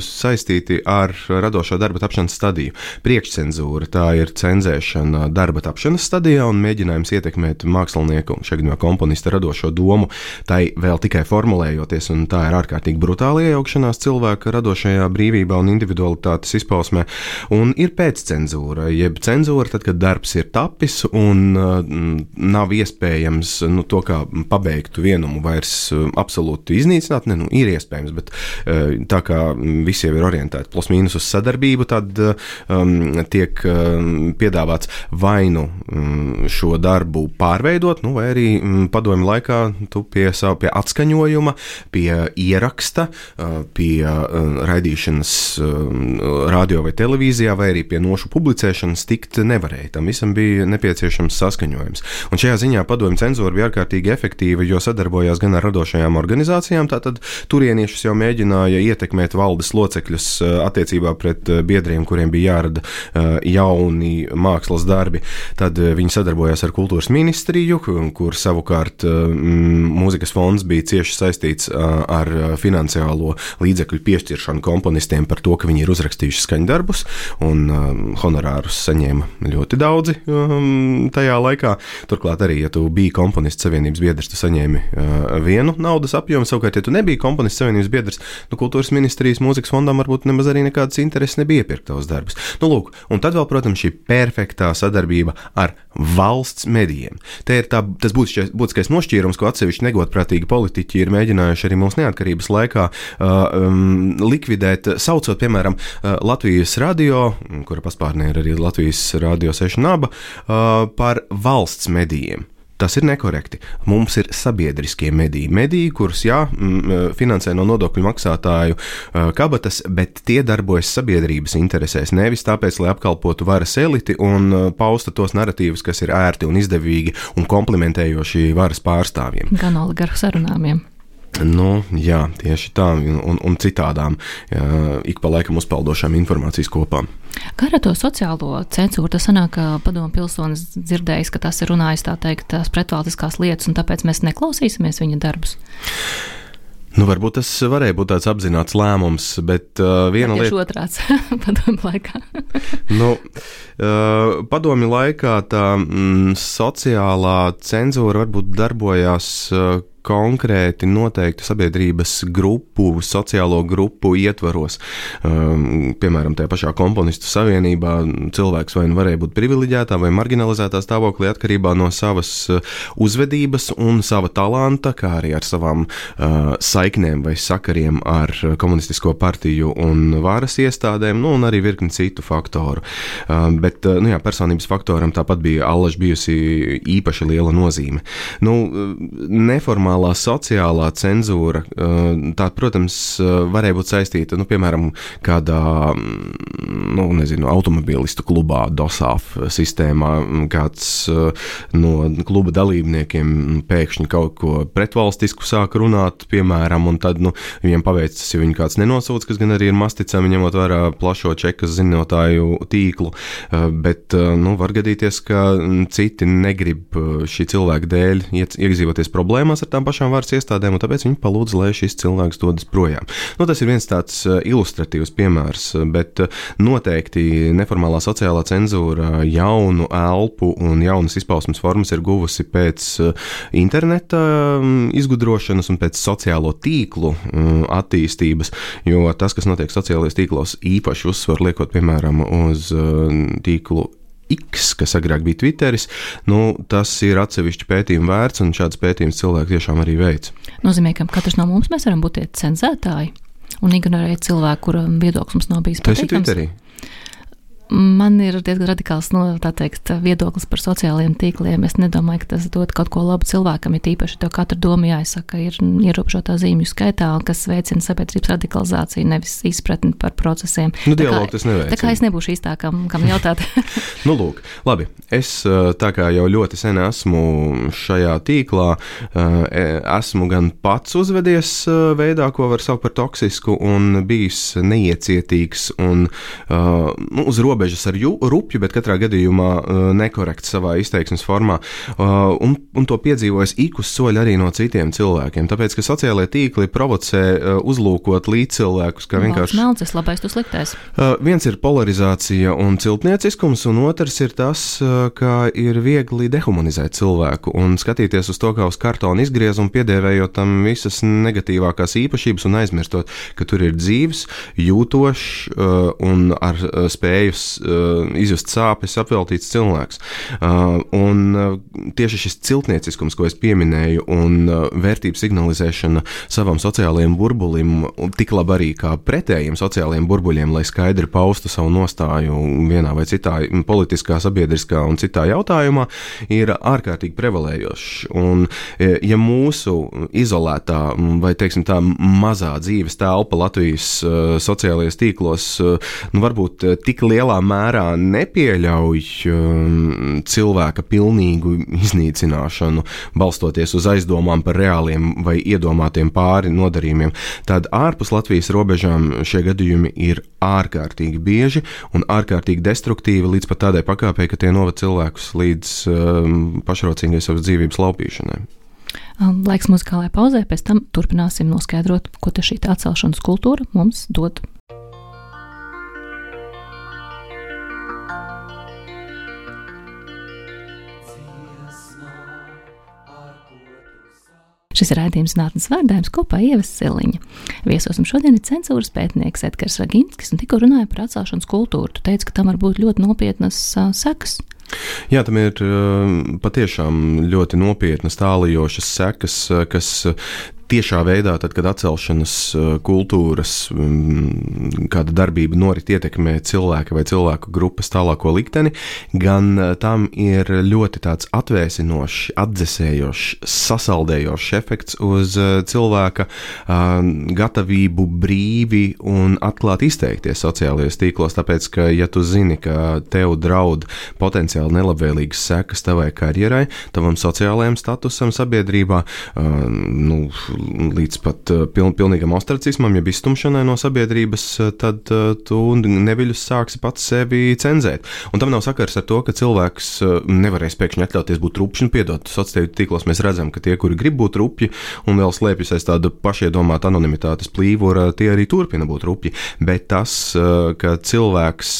saistīti ar radošo darba tapšanas stadiju. Priekšcenzūra, tā ir cenzēšana darba tapšanas stadijā un mēģinājums ietekmēt mākslinieku, šeit komponista radošo domu, tai vēl tikai formulējoties, un tā ir ārkārtīgi brutāli iejaukšanās cilvēka radošajā brīvībā un individualitātes izpausmē. Un ir pēccenzūra, jeb cenzūra, tad, kad darbs ir tapis un nav iespējams to, kā pabeigtu vienumu vairs absolūti iznīcināt, ir iespējams, bet tā kā visi jau ir orientēti plus mīnus uz sadarbību, tad tiek piedāvāts vai šo darbu pārveidot, vai arī padomju laikā tu pie atskaņojuma, pie ieraksta, pie raidīšanas radio vai televīzijā, vai arī pie nošu publicēšanas tikt nevarēja. Tam visam bija nepieciešams saskaņojums. Un šajā ziņā padomju cenzūra bija ārkārtīgi efektīva, jo sadarbojās gan ar radošajām organizācijām, tātad turieniešus jau mēģināja ietekmēt valdes locekļus attiecībā pret biedriem, kuriem bija jārada jauni mākslas darbi. Tad viņi sadarbojās ar kultūras ministriju, kur savukārt mūzikas fonds bija cieši saistīts ar finansiālo līdzekļu piešķiršanu komponistiem par to, ka viņi ir uzrakstījuši skaņdarbus un honorārus saņēma ļoti daudzi tajā laikā. Turklāt arī, ja tu biji komponistu savienības biedrs, tu saņēmi vienu naudas apjomu, savukārt, ja tu nebija komponistu savienības biedrs, kultūras ministrijas mūzikas fondam varbūt nemaz arī nekādas intereses nebija iepirkt tavus darbus. Lūk, un tad vēl, protams, šī perfektā sadarbība ar valsts medijiem. Te ir tas būtiskais nošķīrums, ko atsevišķi negodprātīgi politiķi ir mēģinājuši arī mūsu neatkarības laikā likvidēt, saucot, piemēram, Latvijas radio, kura paspārnē ir arī Latvijas radio 6 naba, par valsts medijiem. Tas ir nekorekti. Mums ir sabiedriskie mediji, kurus, finansē no nodokļu maksātāju kabatas, bet tie darbojas sabiedrības interesēs, nevis tāpēc, lai apkalpotu varas eliti un pausta tos narratīvus, kas ir ērti un izdevīgi un komplimentējoši varas pārstāvjiem. Gan oligarhu sarunājumiem. Jā, tieši tā, un citādām ik pa laikam uzpeldošām informācijas kopām. Kā ar to sociālo cenzūru? Tas sanāk, ka padomu pilsonis dzirdējis, ka tas ir runājis, tā teikt, tās pretvalstiskās lietas, un tāpēc mēs neklausīsimies viņa darbus? Varbūt tas varēja būt tāds apzināts lēmums, bet viena lieta... Tieši otrāds padomu laikā. Padomi laikā tā sociālā cenzūra varbūt darbojās konkrēti noteiktu sabiedrības grupu, sociālo grupu ietvaros. Piemēram, tajā pašā komponistu savienībā cilvēks vai varēja būt privileģētā vai marginalizētā stāvoklī atkarībā no savas uzvedības un sava talanta, kā arī ar savām saiknēm vai sakariem ar komunistisko partiju un varas iestādēm, un arī virkni citu faktoru. Bet, personības faktoram tāpat bija allaž bijusi īpaši liela nozīme. Neformālā sociālā cenzūra, tā, protams, varēja būt saistīta, piemēram, kādā, automobilistu klubā, DOSAF sistēmā, kāds no kluba dalībniekiem pēkšņi kaut ko pretvalstisku sāk runāt, piemēram, un tad, viņiem paveicas, ja viņi kāds nenosūdz, kas gan arī ir masticami, ņemot vērā plašo čekas zinotāju tīklu, bet, var gadīties, ka citi negrib šī cilvēka dēļ iedzīvoties problēmās ar tām pašām varas iestādēm, un tāpēc viņi palūdz, lai šis cilvēks dodas projām. Tas ir viens tāds ilustratīvs piemērs, bet noteikti neformālā sociālā cenzūra jaunu elpu un jaunas izpausmes formas ir guvusi pēc interneta izgudrošanas un pēc sociālo tīklu attīstības, jo tas, kas notiek sociālajos tīklos, īpaši uzsvar liekot, piemēram, uz tīklu X, kas agrāk bija Twitteris, tas ir atsevišķi pētījumu vērts, un šāds pētījums cilvēki tiešām arī veic. Nozīmē, ka katrs no mums mēs varam būt tie cenzētāji un ignorēt cilvēku, kura viedoklis mums nav bijis patīkams. Tas ir Twitterī. Man ir diezgan radikāls viedoklis par sociālajiem tīkliem. Es nedomāju, ka tas dod kaut ko labu cilvēkam, ja tīpaši to katru domu jāizsaka ir ierobežotā zīmju skaitā, kas veicina sabiedrības radikalizāciju, nevis izpratni par procesiem. Dialogu tas neveicina. Tā kā es nebūšu īstā, kam jautāt. Lūk, labi. Es tā kā jau ļoti sen esmu šajā tīklā, esmu gan pats uzvedies veidā, ko var saukt par toksisku, un bijis neiecietīgs un uz robežas ar rupju, bet katrā gadījumā nekorekts savā izteiksmes formā, un to piedzīvojas ik uz soļa arī no citiem cilvēkiem, tāpēc, ka sociālajie tīkli provocē uzlūkot līdzcilvēkus, kā vienkārši... Melcis, labais, tu sliktais. Viens ir polarizācija un ciltnieciskums, un otrs ir tas, ka ir viegli dehumanizēt cilvēku un skatīties uz to kā uz kartona izgriezumu, piedēvējot tam visas negatīvākās īpašības un aizmirstot, ka tur ir dzīves, jūtošs un ar spējus izjust sāpes apveltīts cilvēks. Un tieši šis ciltnieciskums, ko es pieminēju, un vērtību signalizēšana savam sociālajiem burbulim, tik labi arī kā pretējiem sociālajiem burbuļiem, lai skaidri paustu savu nostāju vienā vai citā politiskā, sabiedriskā un citā jautājumā, ir ārkārtīgi prevalējošs. Un ja mūsu izolētā vai, teiksim tā, mazā dzīves telpa Latvijas sociālajos tīklos, varbūt tik lielā mērā nepieļauj cilvēka pilnīgu iznīcināšanu, balstoties uz aizdomām par reāliem vai iedomātiem pāri nodarījumiem, tad ārpus Latvijas robežām šie gadījumi ir ārkārtīgi bieži un ārkārtīgi destruktīvi līdz pat tādai pakāpei, ka tie noved cilvēkus līdz pašrocīgai savas dzīvības laupīšanai. Laiks muzikālajai pauzē, pēc tam turpināsim noskaidrot, ko te šī atcelšanas kultūra mums dod. Šis ir raidījums Zinātnes vārdājums kopā Ieva Siliņa. Viesosim šodien ir cenzūras pētnieks Edgars Raginskis un tikko runāja par atcelšanas kultūru. Tu teici, ka tam var būt ļoti nopietnas sekas. Jā, tam ir patiešām ļoti nopietnas tālajošas sekas, kas tiešā veidā, tad, kad atcelšanas kultūras kāda darbība norit ietekmē cilvēka vai cilvēku grupas tālāko likteni, gan tam ir ļoti tāds atvēsinošs, atdzesējošs, sasaldējošs efekts uz cilvēka gatavību brīvi un atklāti izteikties sociālajos tīklos, tāpēc, ka, ja tu zini, ka tev draud potenciāli nelabvēlīgas sekas tavai karjerai, tavam sociālajam statusam sabiedrībā, līdz pat pilnīgam ostracismam, ja izstumšanai no sabiedrības, tad tu neviļus sāksi pats sevi cenzēt. Un tam nav sakars ar to, ka cilvēks nevarēs pēkšņi atļauties būt rupšs, piedot. Sociālajos tīklos mēs redzam, ka tie, kuri grib būt rupji un vēl slēpjas aiz tāda pašiedomāta anonimitātes plīvura, tie arī turpina būt rupji. Bet tas, ka cilvēks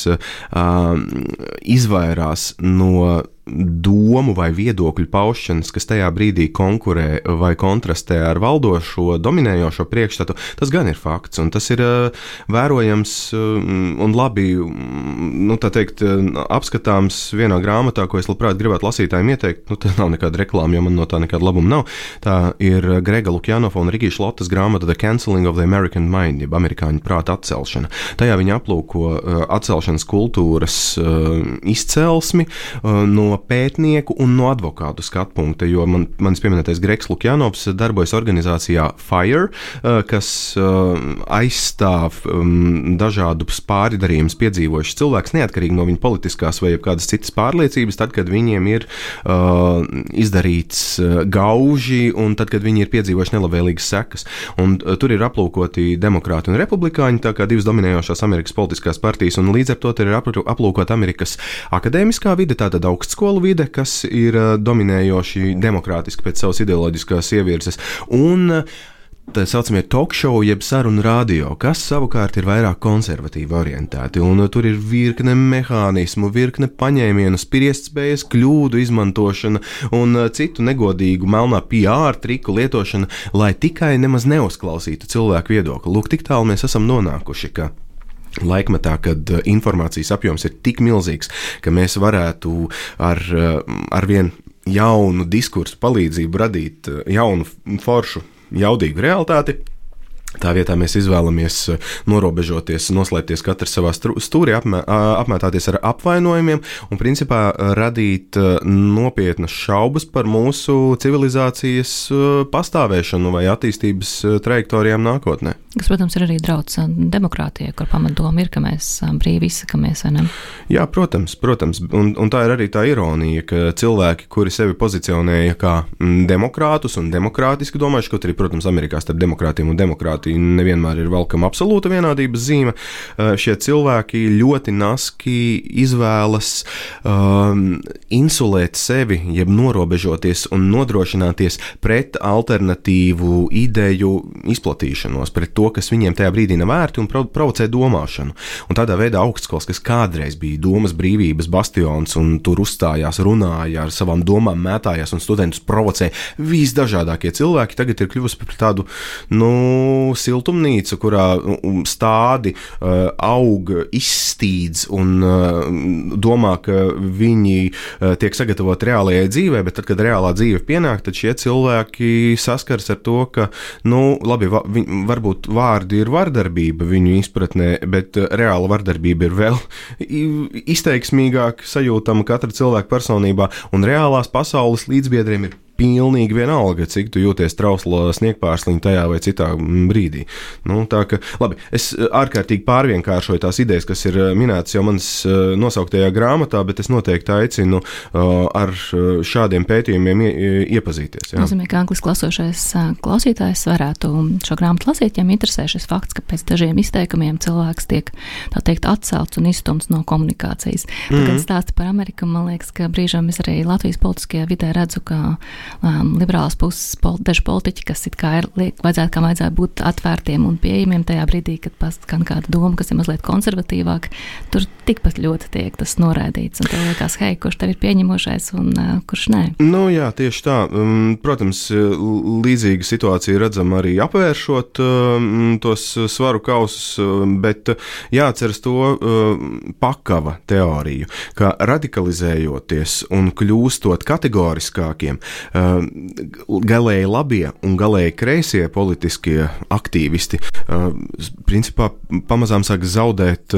izvairās no domu vai viedokļu paušanas, kas tajā brīdī konkurē vai kontrastē ar valdošo, dominējošo priekšstatu, tas gan ir fakts, un tas ir vērojams un labi, tā teikt, apskatāms vienā grāmatā, ko es labprāt gribētu lasītājiem ieteikt. Tas nav nekāda reklāma, jo man no tā nekāda labuma nav. Tā ir Grega Lukjanova un Rigija Šlotas grāmata The Cancelling of the American Mind, jeb amerikāņu prāta atcelšana. Tajā viņi aplūko atcelšanas kultūras izcelsmi no pētnieku un no advokātu skatu punkta, jo manis pieminētais Gregs Lukjanovs darbojas organizācijā FIRE, kas aizstāv dažādus pārdarījumus piedzīvojušas cilvēks, neatkarīgi no viņa politiskās vai kādas citas pārliecības, tad, kad viņiem ir izdarīts gauži un tad, kad viņi ir piedzīvojuši nelabvēlīgas sekas. Un tur ir aplūkoti demokrāti un republikāņi, tā kā divas dominējošās Amerikas politiskās partijas, un līdz ar to ir aplūkot Amerikas akadēmiskā vide, tātad augstskolu vide, kas ir dominējoši demokrātiski pēc savas ideoloģiskās ievirzes, un tā saucamie talk show, jeb sarunu radio, kas savukārt ir vairāk konservatīvi orientēti, un tur ir virkne mehānismu, virkne paņēmienu, spriestspējas, kļūdu izmantošana un citu negodīgu melnā PR triku lietošana, lai tikai nemaz neuzklausītu cilvēku viedokli. Lūk, tik tālu mēs esam nonākuši, ka laikmetā, kad informācijas apjoms ir tik milzīgs, ka mēs varētu ar vien jaunu diskursu palīdzību radīt jaunu, foršu, jaudīgu realitāti, Tā vietā mēs izvēlamies norobežoties, noslēpties katrs savā stūrī, apmētāties ar apvainojumiem un principā radīt nopietnas šaubas par mūsu civilizācijas pastāvēšanu vai attīstības trajektorijām nākotnē. Kas, protams, ir arī draudz demokrātijai, kur pamatdoma ir, ka mēs brīvi izsakamies, vai ne? Jā, protams. Un tā ir arī tā ironija, ka cilvēki, kuri sevi pozicionēja kā demokrātus un demokrātiski domājuši, kaut arī, protams, Amerikā starp demokrātiem un demokrātiju nevienmēr ir velkama absolūta vienādības zīme, šie cilvēki ļoti naski izvēlas insulēt sevi, jeb norobežoties un nodrošināties pret alternatīvu ideju izplatīšanos, pret to, kas viņiem tajā brīdī nav vērti un provocē domāšanu. Un tādā veidā augstskolas, kas kādreiz bija domas brīvības bastions un tur uzstājās, runāja ar savām domām, mētājās un studentus provocē visdažādākie cilvēki, tagad ir kļuvusi par tādu, siltumnīcu, kurā stádi aug, izstīdz un domā, ka viņi tiek sagatavoti reālajai dzīvē, bet tad, kad reālā dzīve pienāk, tad šie cilvēki saskars ar to, ka, labi, varbūt vārdi ir vardarbība viņu izpratnē, bet reāla vardarbība ir vēl izteiksmīgāk sajūtama katra cilvēka personībā, un reālās pasaules līdzbiedriem ir pilnīgi vienalga, cik tu jūties trausla sniegpārsliņa tajā vai citā brīdī. Tā ka, labi, es ārkārtīgi pārvienkāršoju tās idejas, kas ir minētas jau manas nosauktajā grāmatā, bet es noteikti aicinu ar šādiem pētījumiem iepazīties. Jā. Nozīmē, ka angliski klasošais klausītājs varētu šo grāmatu lasīt, ja interesē šis fakts, ka pēc dažiem izteikumiem cilvēks tiek, tā teikt, atcelts un izstumts no komunikācijas. Tagad stāsti par Ameriku, man liekas, ka brīžām es arī Latvijas politiskajā vidē redzu, ka liberālās puses daži politiķi, kas it kā vajadzētu būt atvērtiem un pieejamiem tajā brīdī, kad paskan kāda doma, kas ir mazliet konservatīvāk, tur tikpat ļoti tiek tas noraidīts. Un tev liekas, hei, kurš tev ir pieņemošais un kurš nē? Jā, tieši tā. Protams, līdzīga situācija redzama arī apvēršot tos svaru kausus, bet jāatceras to pakava teoriju, ka radikalizējoties un kļūstot kategoriskākiem, galēji labie un galēji kreisie politiskie aktīvisti principā pamazām sāk zaudēt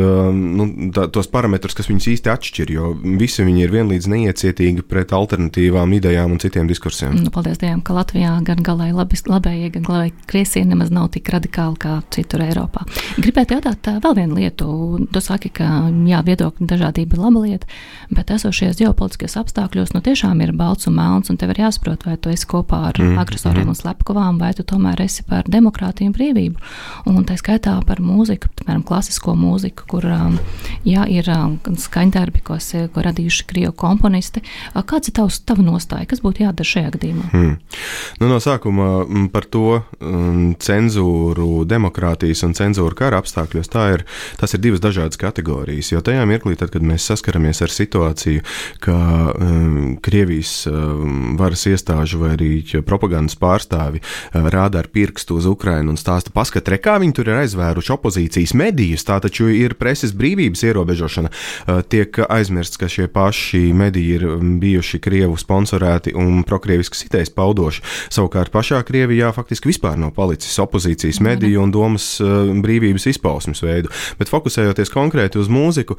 tos parametrus, kas viņus īsti atšķir, jo visi viņi ir vienlīdz neiecietīgi pret alternatīvām idejām un citiem diskursiem. Paldies Dievam, ka Latvijā gan galēji labējie, gan galēji kreisie nemaz nav tik radikāli kā citur Eiropā. Gribētu jautāt vēl vienu lietu. Tu saki, ka viedokļu dažādība ir laba lieta, bet esošies ģeopolitiskajos apstākļos tiešām ir balts un melns, un tev ir jāsaprot, vai tu esi kopā ar agresoriem un slepkavām, vai tu tomēr esi par demokrātiju un brīvību. Un tā skaitā par mūziku, piemēram, klasisko mūziku, kur ir skaņdarbi, ko radījuši krievu komponisti. Kāds ir tava nostāja? Kas būtu jādara šajā gadījumā? No sākuma par to cenzūru demokrātijas un cenzūru kara apstākļos, tas ir divas dažādas kategorijas, jo tajā mirklī, tad, kad mēs saskaramies ar situāciju, ka Krievijas varas iestāžu vai arī propagandas pārstāvi rāda ar pirkstu uz Ukrainu un stāsta, paskat, kā viņi tur ir aizvēruši opozīcijas medijus, tā taču ir preses brīvības ierobežošana. Tiek aizmirsts, ka šie paši mediji ir bijuši Krievu sponsorēti un prokrieviskas idejas paudoši. Savukārt pašā Krievijā faktiski vispār nav palicis opozīcijas mediju un domas brīvības izpausmes veidu. Bet fokusējoties konkrēti uz mūziku,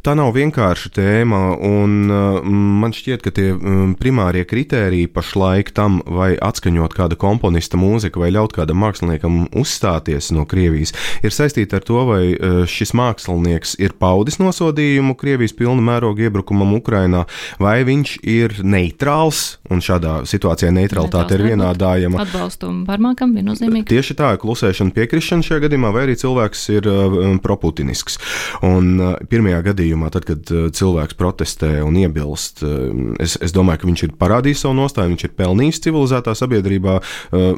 tā nav vienkārša tēma, un man šķiet, ka tie primārie kritēriji pašlaik tam, vai atskaņot kāda komponista mūziku, vai ļaut kādam māksliniekam uzstāties no Krievijas, ir saistīta ar to, vai šis mākslinieks ir paudis nosodījumu Krievijas pilna mēroga iebrukumam Ukrainā, vai viņš ir neitrāls, un šādā situācijā neutralitāte ir vienādājama. Atbalstu varmākam viennozīmīgi. Tieši tā, klusēšana, piekrišana šajā gadījumā, vai arī cilvēks ir proputinisks. Un pirmajā gadījumā, tad, kad cilvēks protestē un iebilst, es domāju, ka viņš ir parādījis savu nostāju, viņš ir pelnījis civilizētā sabiedrībā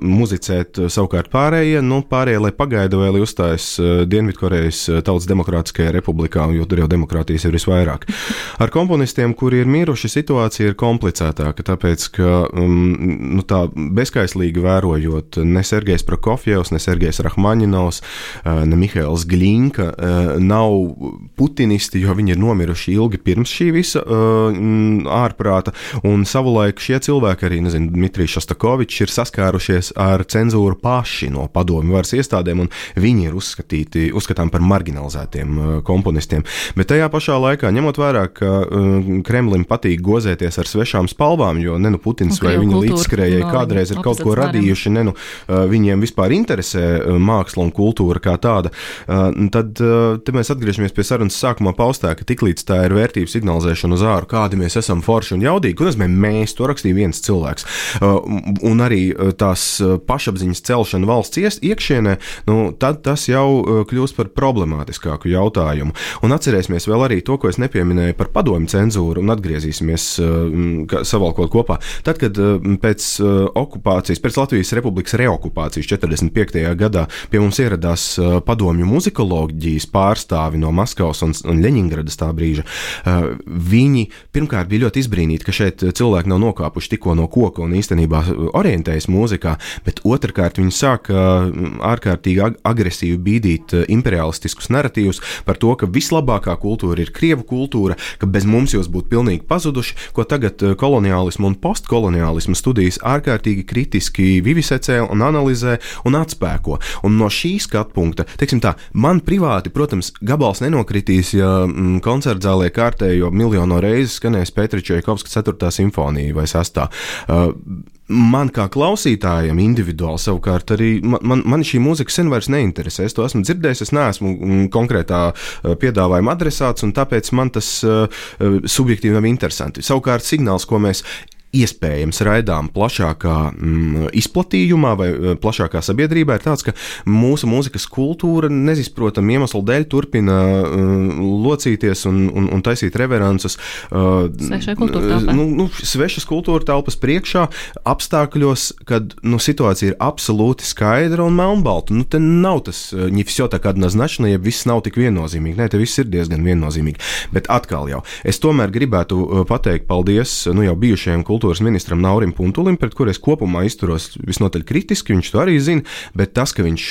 muzicēt, savukārt pārējie, lai pagaida vai lai uzstājas Dienvidkorejas Tautas Demokrātiskajā republikā, jo tur jau demokrātijas ir visvairāk. Ar komponistiem, kuri ir miruši, situācija ir komplicētāka, tāpēc, ka tā bezkaislīgi vērojot ne Sergejs Prokofjevs, ne Sergejs Rahmaņinovs, ne Mihails Gļinka nav putinisti, jo viņi ir nomiruši ilgi pirms šī visa ārprāta apzināta, un savulaik šie cilvēki arī, Dmitrijs Šostakovičs ir saskārušies ar cenzūru paši no padomju varas iestādēm, un viņi ir uzskatām par marginalizētiem komponistiem. Bet tajā pašā laikā, ņemot vērā, ka Kremlim patīk gozēties ar svešām spalvām, jo Putins vai viņa līdzskrējēji kādreiz ir kaut ko radījuši, viņiem vispār interesē māksla un kultūra kā tāda, tad te mēs atgriežamies pie sarunas sākumā paustā, ka tiklīdz tā ir vērtību signalizēšana uz āru, kādi mēs esam forši un jaudīgi, ko nozīmē mēs, to rakstīja viens cilvēks. Un arī tās pašapziņas celšana valsts iekšienē, tad tas jau kļūst par problemātiskāku jautājumu. Un atcerēsimies vēl arī to, ko es nepieminēju par padomju cenzūru, un atgriezīsimies savalkot kopā. Tad, kad pēc Latvijas Republikas reokupācijas 45. gadā pie mums ieradās padomju muzikoloģijas pārstāvi no Maskavas un Ļeņingradas tā brīža, viņi pirmkārt bija ļoti izbrīnīti, ka šeit cilvēki nav nokāpuši tikko no koka un īstenībā orientējas mūzikā, bet otrkārt viņi sāka ārkārtīgi agresīvi bīdīt imperialistiskus naratīvus par to, ka vislabākā kultūra ir krievu kultūra, ka bez mums jūs būtu pilnīgi pazuduši, ko tagad koloniālismu un postkoloniālismu studijas ārkārtīgi kritiski vivisecē un analizē un atspēko. Un no šī skatu punkta, teiksim tā, man privāti, protams, gabals nenokritīs, ja koncertzālē kārtējo miljono reizi skanēs Pētera Čaikovska 4. simfonija vai 6. Man kā klausītājam individuāli savukārt arī, man šī mūzika sen vairs neinteresē. Es to esmu dzirdējis, es neesmu konkrētā piedāvājuma adresāts, un tāpēc man tas subjektīvi nav interesanti. Savukārt signāls, ko mēs iespējams raidām plašākā izplatījumā vai plašākā sabiedrībā, ir tāds, ka mūsu mūzikas kultūra nezizprotam iemeslu dēļ turpina locīties un taisīt reverances svešas kultūra telpas priekšā apstākļos, kad situācija ir absolūti skaidra un melnbalta. Te nav tas не всё так однозначно, ja viss nav tik viennozīmīgi. Nē, te viss ir diezgan viennozīmīgi. Bet atkal jau, es tomēr gribētu pateikt paldies jau bijušajiem kultūras ministram Naurim Puntulim, pret kur es kopumā izturos visnotaļ kritiski, viņš to arī zina, bet tas, ka viņš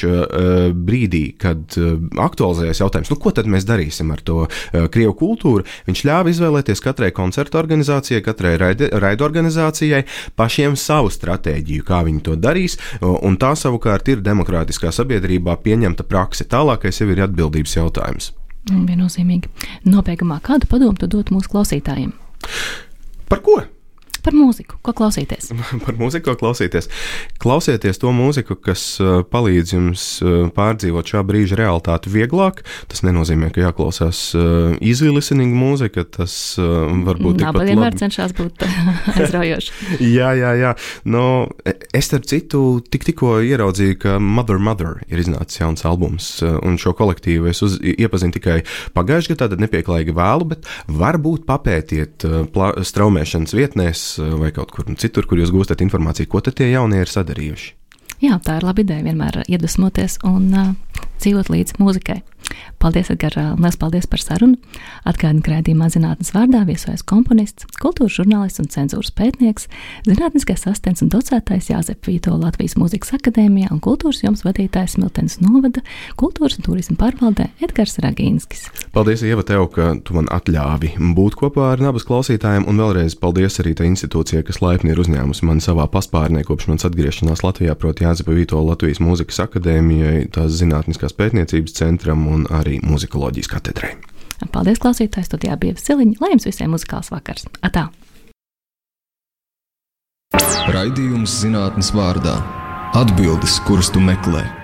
brīdī, kad aktualizējas jautājums, ko tad mēs darīsim ar to krievu kultūru, viņš ļāva izvēlēties katrai koncertu organizācijai, katrai raidu organizācijai pašiem savu stratēģiju, kā viņi to darīs, un tā savukārt ir demokrātiskā sabiedrībā pieņemta prakse. Tālākais jau ir atbildības jautājums. Viennozīmīgi. Nobeigumā, kādu padomu tu dot mūsu klausītājiem? Par ko? Par mūziku, ko klausīties? Par mūziku, ko klausīties. Klausieties to mūziku, kas palīdz jums pārdzīvot šā brīža realitāti vieglāk. Tas nenozīmē, ka jāklausās easy listening mūzika, tas varbūt tikpat labi. Vienmēr cenšās būt aizraujoši. Jā. Es starp citu tikko ieraudzīju, ka Mother ir iznācis jauns albums, un šo kolektīvu es iepazinu tikai pagājušajā gadā, tad nepieklājīgi vēlu, bet varbūt papētiet straumēšanas vietnēs vai kaut kur citur, kur jūs gūstat informāciju, ko tad tie jaunie ir sadarījuši. Jā, tā ir laba ideja vienmēr iedvesmoties un dzīvot līdz mūzikai. Paldies, Edgar, liels paldies par sarunu. Atgādinu, ka raidījumā Zinātnes vārdā viesojas komponists, kultūras žurnālists un cenzūras pētnieks, zinātniskais asistents un docētājs Jāzep Vītola Latvijas Mūzikas akadēmijā un kultūras jomas vadītājs Smiltenes novada kultūras un turisma pārvaldē Edgars Ragīnskis. Paldies, Ieva, tev, ka tu man atļāvi būt kopā ar Nabas klausītājiem, un vēlreiz paldies arī tai institūcijai, kas laipni ir uzņēmusi mani savā paspārnē kopš manas atgriešanās Latvijā, proti Jāzepa Vītola Latvijas Mūzikas akadēmijai, tās zinātniskās pētniecības centram un arī muzikoloģijas katedrai. Paldies, klausītāji, studijā bija Siliņa, lai jums visiem muzikāls vakars. Atā! Raidījums Zinātnes vārdā. Atbildes, kuras tu meklē.